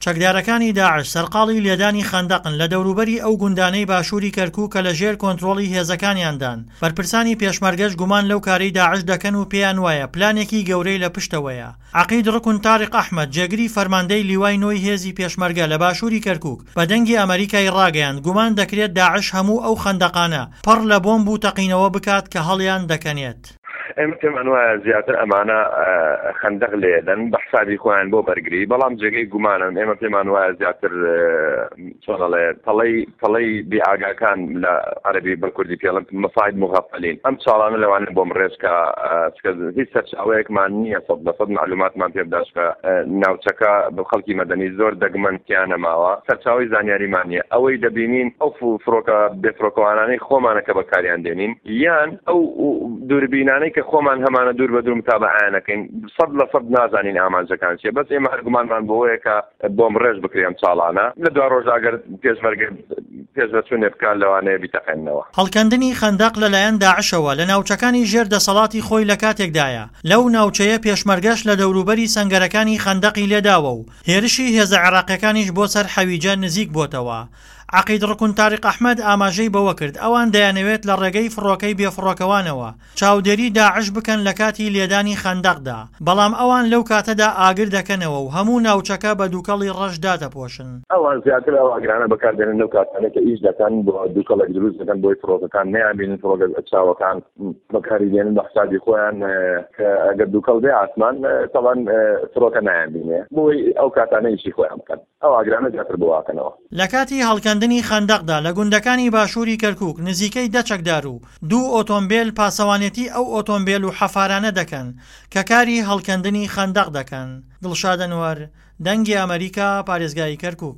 چەکدارەکانی داعش سەرقاڵی لێدانی خەندەقن لە دەوروبەری ئەو گوندانەی باشووری کەرکووک کە لە ژێر کۆنترۆڵی هێزەکانیاندان، بەرپرسانی پێشمەرگەش گومان لەو کارەی داعش دەکەن و پێیان وایە پلانێکی گەورەی لە پشتەوەیە. عەقید ڕوکن تاریق ئەحمەد، جێگری فەرماندەی لیوای نۆی هێزی پێشمەرگە لە باشووری کەرکووک، بە دەنگی ئەمەریکای ڕاگەیاند، گومان دەکرێت داعش هەموو ئەو خەندەقانە پڕ لە بۆمب و تەقینەوە بکات کە هەڵیان دەکەنێت. ئێمە پێمان وایە زیاتر ئەمانە خەندەق لێدەن بە حسابی خۆیان بۆ بەرگری، بەڵام جێگەی گومانن. ئێمە پێمان وایە زیاتر چۆنەڵێ پەڵەی پەڵەی بێئاگاکان لە عەربی بە کوردی پێڵن مەساید مغفلین، ئەم چاڵانە لەوانە بۆم ڕێژکە چکە هیچ سەرچاوەیەکمان نییە 100% معلوماتمان پێ بدات کە ناوچەکە بە خەڵکی مەدەنی زۆر دەگمەن تیا نەماوە، سەرچاوەی زانیاریمان نییە. ئەوەی دەبینین ئەو فڕۆکە بێفڕۆکەوانانەی خۆمانە کە بەکاریان دێنین یان ئەو دووربینانەی کە خۆمان هەمانە دوور بە دوور متابەعەیان ئەکەین، 100% نازانین ئامانجەکان چییە، بەس ئێمە هەر گومانمان بەوەیە کە بۆمبڕێژ بکرێ ئەم چاڵانە، لە دوا ڕۆژدا ئەگەر پێشمەرگە پێشڤەچوونێ بکات لەوانەیە بیتەقێننەوە. هەڵکەندنی خەندەق لەلایەن داعشەوە لە ناوچەکانی ژێر دەسەڵاتی خۆی لە کاتێکدایە، لەو ناوچەیە پێشمەرگەش لە دەوروبەری سەنگەرەکانی خەندەقی لێداوە و هێرشی هێزە عێراقیەکانیش بۆ سەر حەویجە نزیک بۆتەوە. عەقید ڕوکن تاریق ئەحمەد ئاماژەی بەوەکرد، ئەوان دەیانەوێت لە ڕێگەی فڕۆکەی بێفڕۆکەوانەوە چاودێری داعش بکەن لە کاتی لێدانی خەندەقدا، بەڵام ئەوان لەو کاتەدا ئاگر دەکەنەوە و هەموو ناوچەکە بە دووکەڵی ڕەش دادەپۆشن. ئەوان زیاتر ئەو ئاگرانە بەکاردێنن لەو کاتانەی کە ئیش دەکەن بۆ دووکەڵێک دروست دەکەن بۆی فڕۆکەکان نەیانبینن، فڕۆکە چاوەکان بەکاری دێنن بە حسابی خۆیان کە ئەگەر دووکەڵ بێ ئاسمان تەبعەن فڕۆکە نایانبینێ بۆی ئەو کاتانە ئیشی خۆیان بکەن. ئەو ئاگرانە زیاتر بڵاوکەنەوە. لە کاتی هەڵکەندنی خەندەقدا لە گوندەکانی باشووری کەرکووک نزیکەی دە چەکدار و دوو ئۆتۆمبێل پاسەوانێتی ئەو ئۆتۆمبێل و حەفارانە دەکەن کە کاری هەڵکەندنی خەندەق دەکەن. دڵشاد ئەنوەر، دەنگی ئەمەریکا، پارێزگای کەرکووک.